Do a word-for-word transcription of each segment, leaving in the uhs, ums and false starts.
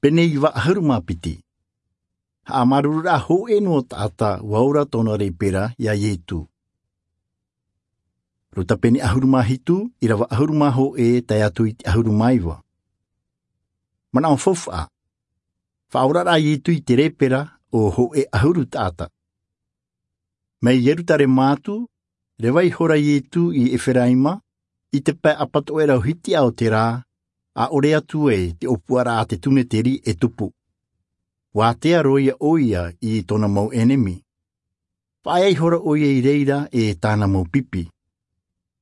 Pene iva ʻahuru mā piti. Haʻamāuruururaʻa hōʻē noa taʻata ua ora tōna rēpera iā Ietu. Luka pene ʻahuru mā hitu, ʻīrava ʻahuru mā hōʻē tae atu i te ʻahuru mā iva. Manaʻo faufaʻa. Faʻaoraraʻa a Ietu i te rēpera o hōʻē ʻahuru taʻata. Mai Ierutarema atu, reva ihora Ietu i Eferaima, i te pae ʻapatoʻerau hitiʻa o te rā, ʻaʻore atu ai te ʻōpuaraʻa a te tuneteri e tupu. Ua ātea roa ia ʻoia i tōna mau ʻenemi. Faʻaea ihora ʻoia i reira e tāna mau pipi.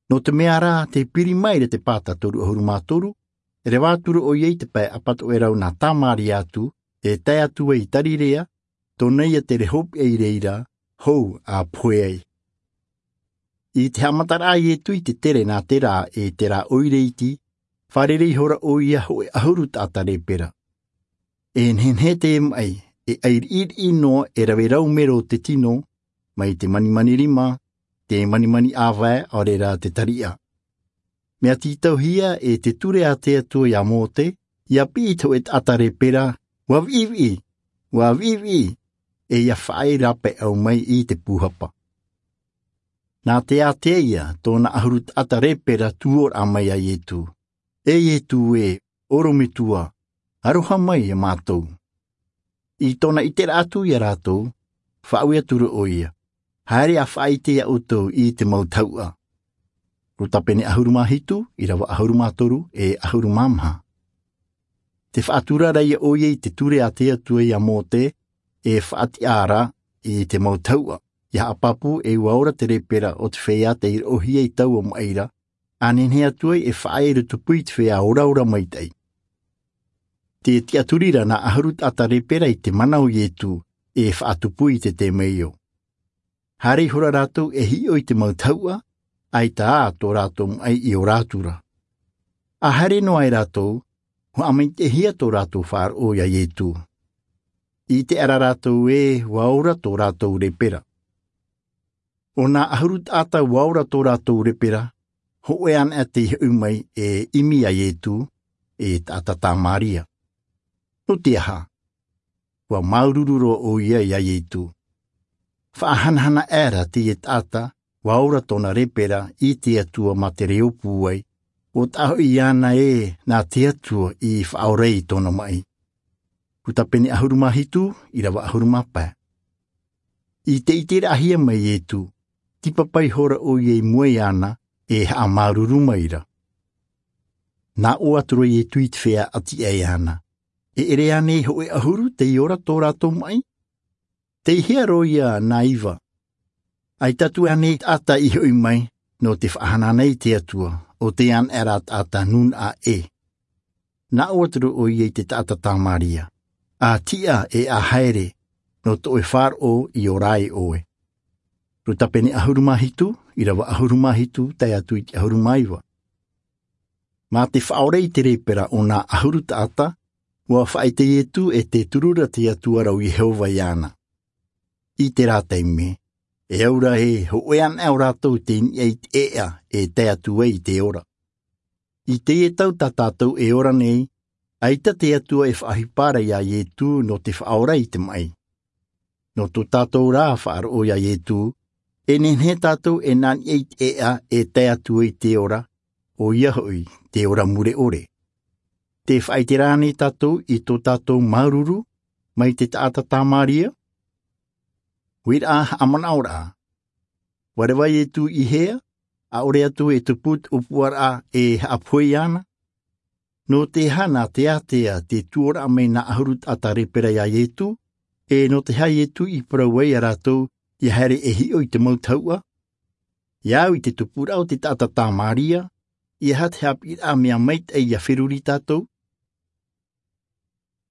Nō te mea rā, tē piri maira te pāta toru ʻahuru mā toru, reva atu ra ʻoia i te pae ʻapatoʻerau nā Tamaria atu, e tae atu ai i Tarirea, tōna ia tere hopeʻa i reira, hou a pohe ai. I te haʻamataraʻa a Ietu i te tere nā te rā e te rā ʻoire iti, fārerei ihora ʻoia hōʻē ʻahuru taʻata rēpera. E nehenehe te maʻi, e ʻairiʻiriʻi noa e rave rau mero te tino, mai te manimani rima, te manimani ʻāvae, ʻaore rā te tariʻa. Mea tītauhia e te ture a te Atua iā Mōte, ʻia piʻi i te hōʻē taʻata rēpera, ʻua viʻiviʻi, ʻua viʻiviʻi, e ʻia faʻaea rāpae ʻau mai i te pūhapa. Nā te ātea ia tōna ʻahuru taʻata rēpera tū ora mai iā Ietu. E Ietu ē, ʻorometua, aroha mai iā mātou. I tōna ʻiteraʻa atu iā rātou, faʻaue atu ra ʻoia, haere ʻa faʻaʻite iā ʻoutou i te mau tahuʻa. Luka pene ʻahuru mā hitu, ʻīrava ʻahuru mā toru, e ʻahuru mā maha. Tē faʻatura ra ia ʻoia i te ture a te Atua iā Mōte, e faʻatiʻa ra i te mau tahuʻa, ʻia haʻapāpū e ʻua ora te rēpera o te feiā tei roʻohia i taua maʻi ra, ʻa nehenehe atu ai e faʻaea ra tupu i te feiā oraora maitaʻi. Te tiʻaturi ra nā ʻahuru taʻata rēpera i te mana o Ietu, e faʻatupu i te temeio. Haere ihora rātou e hiʻo i te mau tahuʻa, ʻaita ā tō rātou maʻi i ora atu ra. ʻA haere noa ai rātou, ʻua haʻamaitaʻihia tō rātou faʻaroʻo iā Ietu. ʻIte ʻara rātou ē, ʻua ora tō rātou rēpera. ʻO nā ʻahuru taʻata ʻua ora tō rātou rēpera, hōʻē anaʻe tei hoʻi mai e ʻimi iā Ietu, e taʻata Tamaria. Nō te aha? ʻUa māuruuru roa ʻoia iā Ietu. Faʻahanahana aʻera teie taʻata, ʻua ora tōna rēpera i te Atua mā te reo pūai, ʻo taʻa hoʻi iāna ē nā te Atua i faʻaora i tōna maʻi. Luka pene ʻahuru mā hitu, ʻīrava ʻahuru mā pae. I te ʻiteraʻahia mai Ietu, tīpapa ihora ʻoia i mua iāna, e haʻamāuruuru maira. Nā ʻō atu ra Ietu i te feiā ʻati aʻe iāna, e ʻere ānei hōʻē ʻahuru tei ora tō rātou maʻi? Tei hea roa ia nā iva? ʻAita atu ānei taʻata i hoʻi mai, nō te faʻahanahana i te Atua, ʻo tei anaʻe ra taʻata nūnaʻa ʻē? Nā ʻō atu ra ʻoia i te taʻata Tamaria, ʻa tiʻa e ʻa haere, nō tō ʻoe faʻaroʻo i ora ai ʻoe. Luka pene ʻahuru mā hitu, ʻīrava ʻahuru mā hitu, tae atu i te ʻahuru mā iva. Mā te faʻaora i te rēpera o nā ʻahuru taʻata, ʻua faʻaʻite Ietu e tē turu ra te Atua ra ʻo Iehova iāna. I terā taime, e au ra ē, hōʻē anaʻe o rātou tei niʻa i te ʻēʻa e tae atu ai i te ora. I teie tau tā tātou e ora nei, ʻaita te Atua e faʻaʻohipa ra iā Ietu nō te faʻaora i te maʻi. Nō tō tātou rā faʻaroʻo iā Ietu, e nehenehe tātou e nā niʻa i te ʻēʻa e tae atu ai i te ora, ʻoia hoʻi, te ora mure ʻore. Tē faʻaʻite ra ānei tātou i tō tātou māuruuru mai te taʻata Tamaria? Uiraʻa haʻamanaʻoraʻa. ʻUa reva Ietu i hea, ʻaʻore atu e tupu te ʻōpuaraʻa e haʻapohe iāna? Nō te aha nā te ātea tē tū ora mai nā ʻahuru taʻata rēpera iā Ietu, e nō te aha Ietu i parau ai iā rātou ʻia haere e hiʻo i te mau tahuʻa? ʻIa au i te tupuraʻa o te taʻata Tamaria, ʻeiaha te haʻapiʻiraʻa mea maitaʻi ʻia feruri tātou,